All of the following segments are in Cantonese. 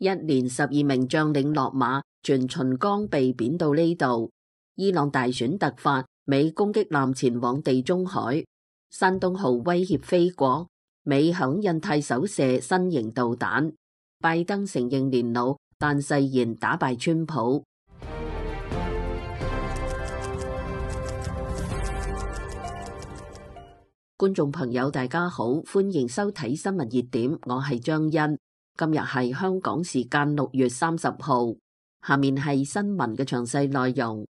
一連12名將領落馬，全秦剛被貶到呢度。伊朗大選突發，美攻擊艦前往地中海。山東號威脅菲國，美響印太搜射新型導彈。拜登承認年老，但誓言打敗川普。觀眾朋友大家好，歡迎收睇新聞熱點，我係張欣。今日係香港時間6月30號，下面係新聞嘅詳細內容。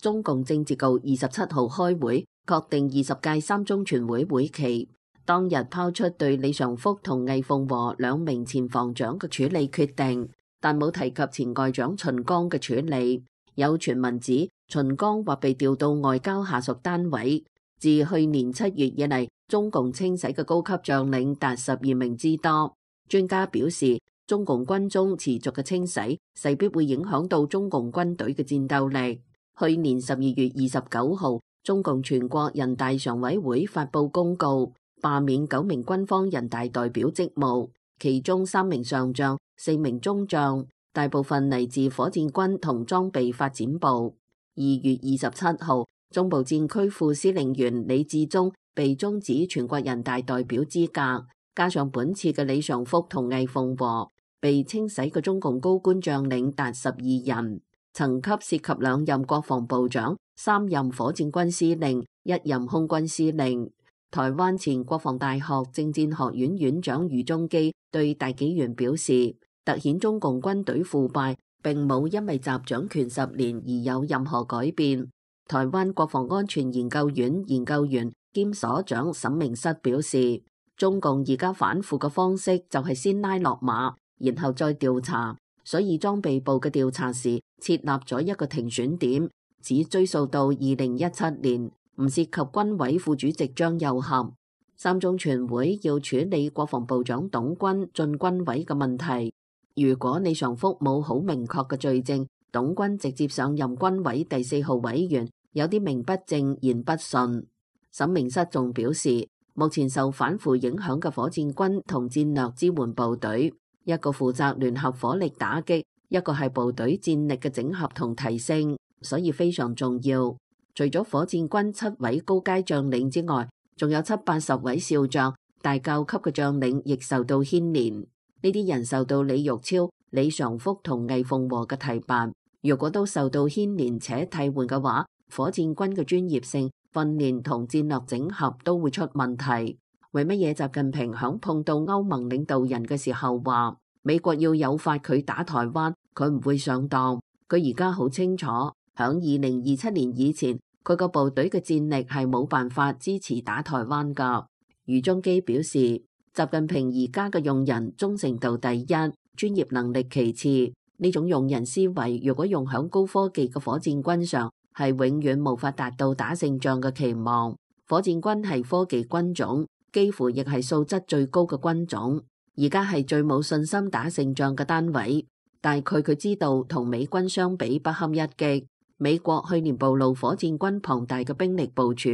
中共政治局27號開會，確定20屆三中全會會期。當日拋出對李尚福同魏鳳和兩名前防長嘅處理決定，但冇提及前外長秦剛嘅處理。有傳聞指秦剛或被調到外交下屬單位。自去年7月以嚟，中共清洗嘅高級將領達12名之多。專家表示，中共軍中持續嘅清洗勢必會影響到中共軍隊嘅戰鬥力。去年12月29號，中共全國人大常委會發布公告，罷免9名軍方人大代表職務，其中3名上將、4名中將，大部分嚟自火箭軍同裝備發展部。2月27號，中部戰區副司令員李志忠被終止全國人大代表資格，加上本次嘅李尚福同魏鳳和，被清洗嘅中共高官將領達12人，層級涉及2任國防部長、3任火箭軍司令、1任空軍司令。台灣前國防大學政戰學院院長余宗基對大紀元表示，凸顯中共軍隊腐敗，並冇因為習掌權10年而有任何改變。台灣國防安全研究院研究員兼所長沈明室表示，中共而家反腐嘅方式就係先拉落馬，然後再調查，所以裝備部嘅調查時設立咗一個停選點，只追溯到2017年，唔涉及軍委副主席張又俠。三中全會要處理國防部長董軍進軍委嘅問題，如果李尚福冇好明確嘅罪證，董軍直接上任軍委第4號委員，有啲名不正言不順。沈明室仲表示，目前受反腐影響嘅火箭軍同戰略支援部隊，一個負責聯合火力打擊，一個係部隊戰力嘅整合同提升，所以非常重要。除咗火箭軍7位高階將領之外，仲有70-80位少將，大校級嘅將領亦受到牽連。呢啲人受到李玉超、李尚福同魏鳳和嘅提拔，如果都受到牽連且替換嘅話，火箭軍嘅專業性、訓練同戰略整合都會出問題。為乜嘢習近平響碰到歐盟領導人嘅時候話美國要誘發佢打台灣，佢唔會上當？佢而家好清楚，響2027年以前，佢個部隊嘅戰力係冇辦法支持打台灣噶。余宗基表示，習近平而家嘅用人忠誠度第一，專業能力其次。呢種用人思維，如果用響高科技嘅火箭軍上，係永遠無法達到打勝仗嘅期望。火箭軍係科技軍種，幾乎亦係素質最高嘅軍種，而家係最冇信心打勝仗嘅單位。但係佢知道同美軍相比不堪一擊。美國去年暴露火箭軍龐大嘅兵力部署，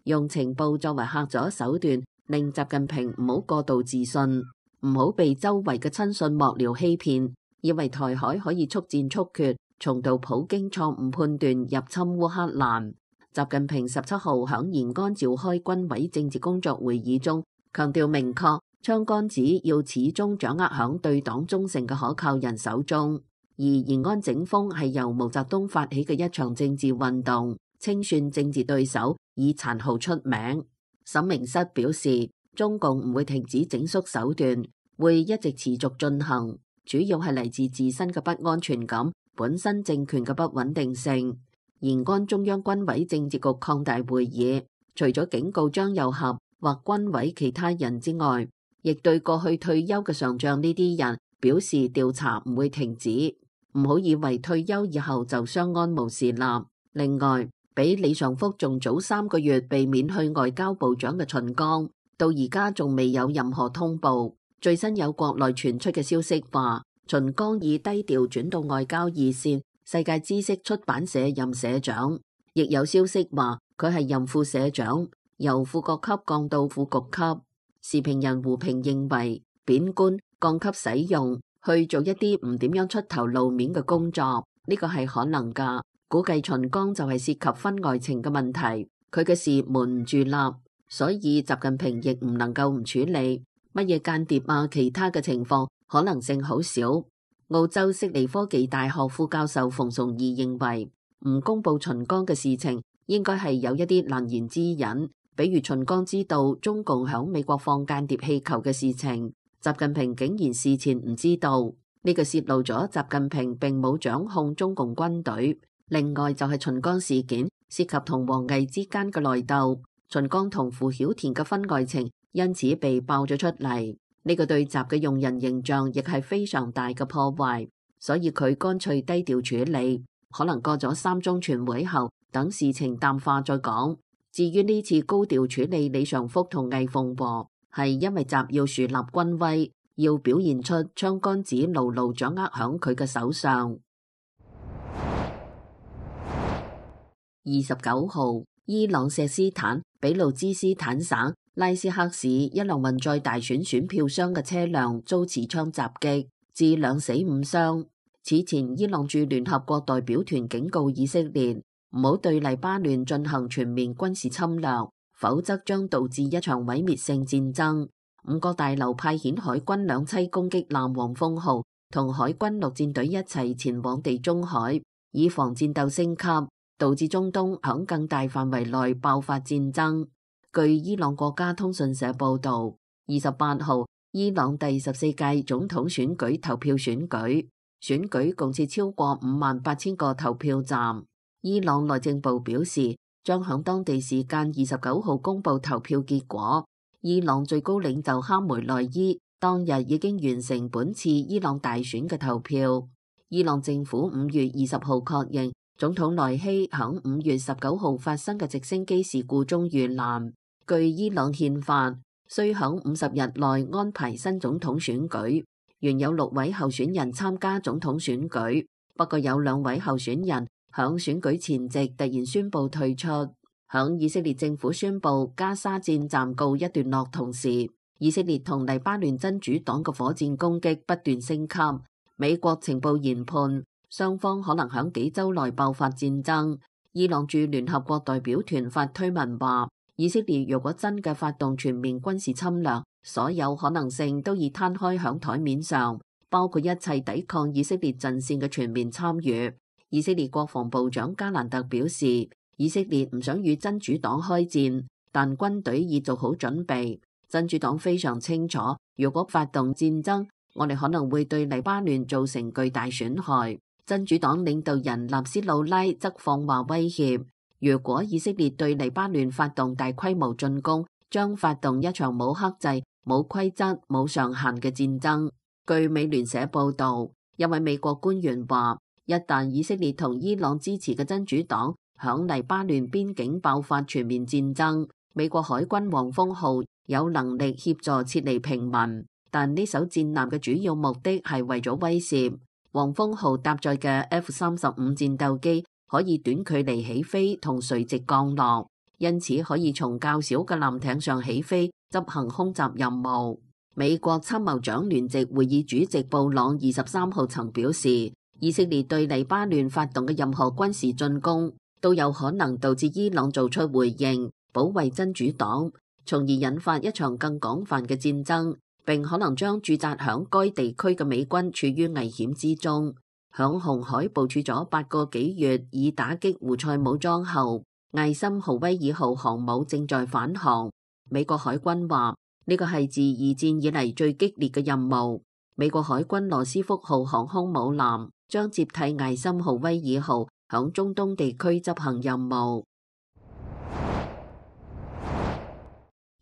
用情報作為嚇阻手段，令習近平唔好過度自信，唔好被周圍嘅親信幕僚欺騙，以為台海可以速戰速決，重蹈普京錯誤判斷入侵烏克蘭。習近平17號響延安召開軍委政治工作會議中，強調明確槍桿子要始終掌握響對黨忠誠嘅可靠人手中。而延安整風係由毛澤東發起嘅一場政治運動，清算政治對手，以殘酷出名。沈明室表示，中共唔會停止整肅手段，會一直持續進行，主要係嚟自自身嘅不安全感，本身政權嘅不穩定性。延安中央軍委政治局擴大會議，除咗警告張又俠或軍委其他人之外，亦對過去退休嘅上將呢啲人表示調查唔會停止。唔好以為退休以後就相安無事啦。另外，比李尚福仲早3個月被免去外交部長嘅秦剛，到而家仲未有任何通報。最新有國內傳出嘅消息話，秦剛已低調轉到外交二線世界知識出版社任社長，亦有消息話佢係任副社長，由副國級降到副局級。時評人胡平認為，貶官降級使用去做一啲唔點樣出頭露面嘅工作，呢個係可能㗎。估計秦剛就係涉及婚外情嘅問題，佢嘅事瞞唔住啦，所以習近平亦唔能夠唔處理。乜嘢間諜啊，其他嘅情況可能性好少。澳洲悉尼科技大學副教授馮崇義認為，唔公布秦剛嘅事情，應該係有一啲難言之隱，比如秦剛知道中共響美國放間諜氣球嘅事情，習近平竟然事前唔知道，呢個泄露咗習近平並冇掌控中共軍隊。另外就係秦剛事件涉及同王毅之間嘅內鬥，秦剛同傅曉田嘅婚外情因此被爆咗出嚟。呢個對習嘅用人形象亦係非常大嘅破壞，所以佢乾脆低調處理，可能過咗3中全會後，等事情淡化再講。至於呢次高調處理李尚福同魏鳳和，係因為習要樹立軍威，要表現出槍桿子牢牢掌握響佢嘅手上。29號，伊朗錫斯坦俾路支斯坦省拉斯克市一輛運載大選選票箱嘅車輛遭持槍襲擊，致2死5傷。此前，伊朗駐聯合國代表團警告以色列唔好對黎巴嫩進行全面軍事侵略，否則將導致一場毀滅性戰爭。5個大樓派遣海軍2棲攻擊艦黃蜂號同海軍陸戰隊一齊前往地中海，以防戰鬥升級，導致中東響更大範圍內爆發戰爭。據伊朗國家通訊社報導，28號，伊朗第14屆總統選舉投票選舉共設超過58,000個投票站。伊朗內政部表示，將響當地時間29號公佈投票結果。伊朗最高領袖哈梅內伊當日已經完成本次伊朗大選嘅投票。伊朗政府5月20號確認，總統萊希響5月19號發生嘅直升機事故中遇難。據伊朗憲法，需響50日內安排新總統選舉。原有6位候選人參加總統選舉，不過有2位候選人響選舉前夕突然宣布退出。響以色列政府宣布加沙戰暫告一段落同時，以色列同黎巴嫩真主黨嘅火箭攻擊不斷升級。美國情報研判，雙方可能響幾週內爆發戰爭。伊朗駐聯合國代表團發推文話，以色列若果真嘅發動全面軍事侵略，所有可能性都已攤開響台面上，包括一切抵抗以色列陣線嘅全面參與。以色列國防部長加蘭特表示，以色列唔想與真主黨開戰，但軍隊已做好準備。真主黨非常清楚，如果發動戰爭，我哋可能會對黎巴嫩造成巨大損害。真主黨領導人納斯魯拉則放話威脅，如果以色列對黎巴嫩發動大規模進攻，將發動一場冇克制、冇規則、冇上限嘅戰爭。據美聯社報導，一位美國官員話，一旦以色列同伊朗支持嘅真主黨響黎巴嫩邊境爆發全面戰爭，美國海軍黃蜂號有能力協助撤離平民，但呢艘戰艦嘅主要目的係為咗威懾。黃蜂號搭載嘅 F-35戰鬥機可以短距離起飛同垂直降落，因此可以從較小嘅艦艇上起飛執行空襲任務。美國參謀長聯席會議主席布朗23號曾表示，以色列對黎巴嫩發動嘅任何軍事進攻都有可能導致伊朗做出回應，保衛真主黨，從而引發一場更廣泛嘅戰爭，並可能將駐紮響該地區嘅美軍處於危險之中。響紅海部署咗8個幾月以打擊胡塞武裝後，艾森豪威爾號航母正在返航。美國海軍話呢個係自2戰以嚟最激烈嘅任務。美國海軍羅斯福號航空母艦將接替艾森豪威爾號響中東地區執行任務。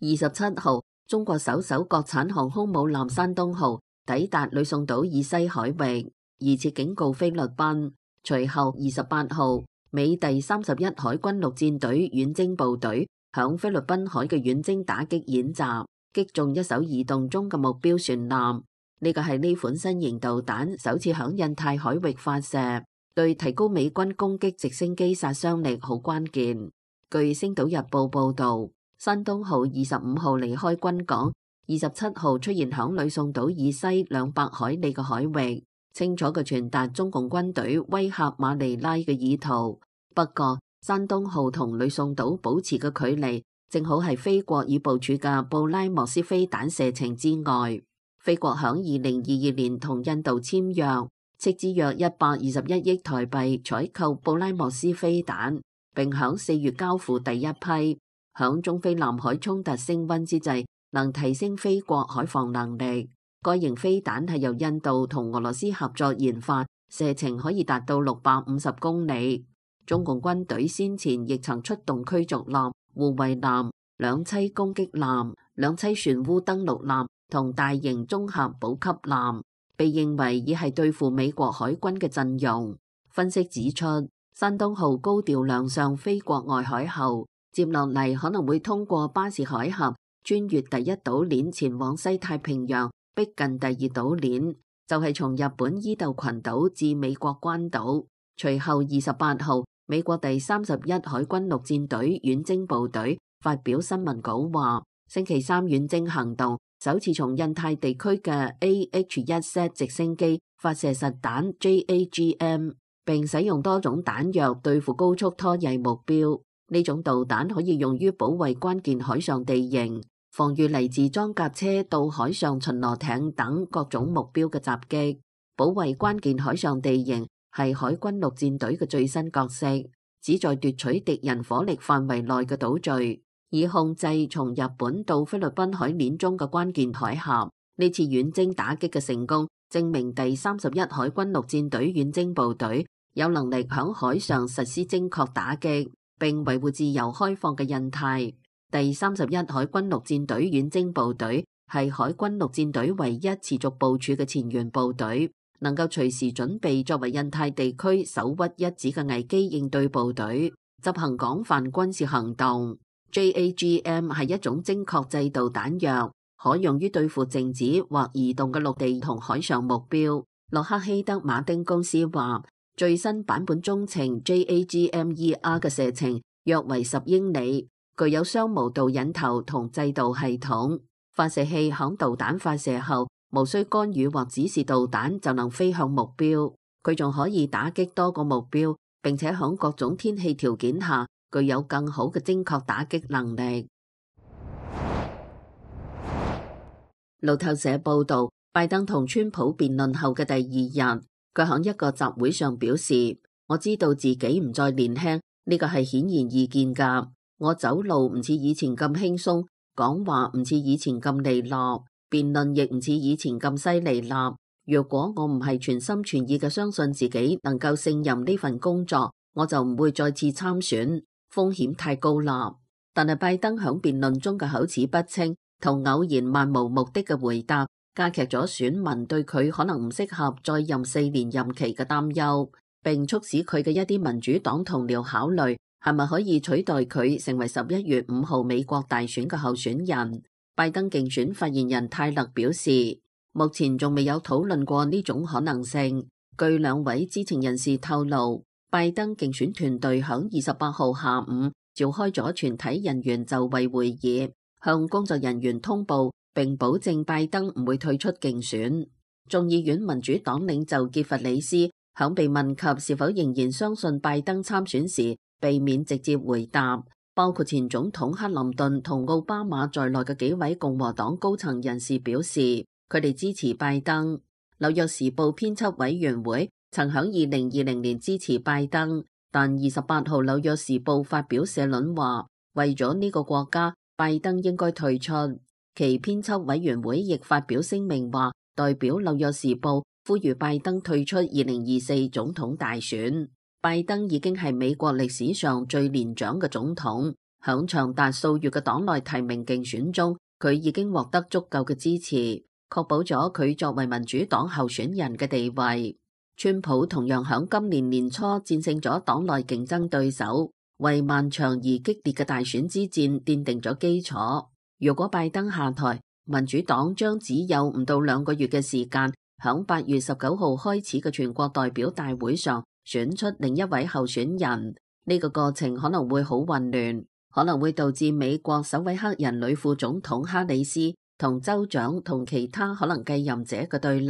27號，中國首艘國產航空母艦山東號抵達呂宋島以西海域，疑似警告菲律賓。隨後28號，美第31海軍陸戰隊遠征部隊響菲律賓海嘅遠征打擊演習，擊中一艘移動中嘅目標船艦。呢個係呢款新型導彈首次響印太海域發射，對提高美軍攻擊直升機殺傷力好關鍵。據星島日報報導，山東號25號離開軍港， 27號出現響呂宋島以西200海里嘅海域，清楚嘅傳達中共軍隊威嚇馬尼拉嘅意圖。不過，山東號同呂宋島保持嘅距離，正好係菲國已部署嘅布拉莫斯飛彈射程之外。菲國響2022年同印度簽約，斥資約121億台幣採購布拉莫斯飛彈，並響4月交付第一批。響中菲南海衝突升溫之際，能提升菲國海防能力。該型飛彈係由印度同俄羅斯合作研發，射程可以達到650公里。中共軍隊先前亦曾出動驅逐艦、護衛艦、兩棲攻擊艦、兩棲船塢登陸艦同大型綜合補給艦，被認為已係對付美國海軍嘅陣容。分析指出，山東號高調亮相菲國外海後，接落嚟可能會通過巴士海峽穿越第一島鏈前往西太平洋，逼近第二島鏈，就係從日本伊豆群島至美國關島。隨後28號，美國第31海軍陸戰隊遠征部隊發表新聞稿話，星期三遠征行動首次從印太地區嘅 AH-1Z 直升機發射實彈 JAGM， 並使用多種彈藥對付高速拖曳目標。呢種導彈可以用於保衛關鍵海上地形，防禦嚟自裝甲車到海上巡邏艇等各種目標嘅襲擊。保衛關鍵海上地形係海軍陸戰隊嘅最新角色，旨在奪取敵人火力範圍內嘅島嶼，以控制從日本到菲律賓海鏈中嘅關鍵海峽。呢次遠征打擊嘅成功，證明第31海軍陸戰隊遠征部隊有能力響海上實施精確打擊，並維護自由開放嘅印太。第31海軍陸戰隊遠征部隊係海軍陸戰隊唯一持續部署嘅前沿部隊，能夠隨時準備作為印太地區首屈一指嘅危機應對部隊，執行廣泛軍事行動。JAGM 係一種精確制導彈藥，可用於對付靜止或移動嘅陸地同海上目標。洛克希德馬丁公司話，最新版本中程 JAGM-ER 嘅射程約為10英里，具有雙無導引頭同制導系統。發射器響導彈發射後，無需干預或指示導彈就能飛向目標。佢仲可以打擊多個目標，並且響各種天氣條件下具有更好嘅精確打擊能力。路透社報道，拜登同川普辯論後嘅第二日，佢響一個集會上表示，我知道自己唔再年輕，呢個係顯然易見噶。我走路唔似以前咁輕鬆，講話唔似以前咁利落，辯論亦唔似以前咁犀利啦。如果我唔係全心全意嘅相信自己能夠勝任呢份工作，我就唔會再次參選，風險太高啦。但係拜登響辯論中嘅口齒不清同偶然漫無目的嘅回答，加劇咗選民對佢可能唔適合再任4年任期嘅擔憂，並促使佢嘅一啲民主黨同僚考慮係咪可以取代佢成為11月5號美國大選嘅候選人。拜登競選發言人泰勒表示，目前仲未有討論過呢種可能性。據2位知情人士透露，拜登競選團隊響28號下午召開咗全體人員就位會議，向工作人員通報並保證拜登唔會退出競選。眾議院民主黨領袖傑弗里斯響被問及是否仍然相信拜登參選時，避免直接回答。包括前總統克林頓同奧巴馬在內嘅幾位共和黨高層人士表示，佢哋支持拜登。紐約時報編輯委員會曾響2020年支持拜登，但28號紐約時報發表社論話，為咗呢個國家，拜登應該退出。其編輯委員會亦發表聲明話，代表紐約時報呼籲拜登退出2024總統大選。拜登已經係美國歷史上最年長嘅總統，響長達數月嘅黨內提名競選中，佢已經獲得足夠嘅支持，確保咗佢作為民主黨候選人嘅地位。川普同樣響今年年初戰勝咗黨內競爭對手，為漫長而激烈嘅大選之戰奠定咗基礎。如果拜登下台，民主黨將只有唔到2個月嘅時間，響8月19號開始嘅全國代表大會上選出另一位候選人。呢個過程可能會好混亂，可能會導致美國首位黑人女副總統哈里斯同州長同其他可能繼任者嘅對立。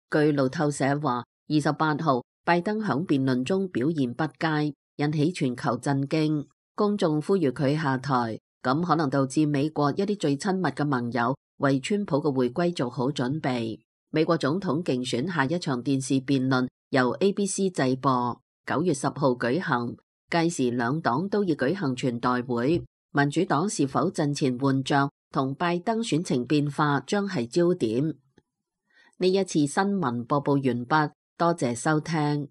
據路透社話，28號拜登響辯論中表現不佳，引起全球震驚，公眾呼籲佢下台，咁可能導致美國一啲最親密嘅盟友為川普嘅回歸做好準備。美國總統競選下一場電視辯論由 ABC 製播，9月10號舉行，屆時兩黨都要舉行全代會，民主黨是否陣前換將同拜登選情變化將係焦點。呢一次新聞播報完畢，多謝收聽。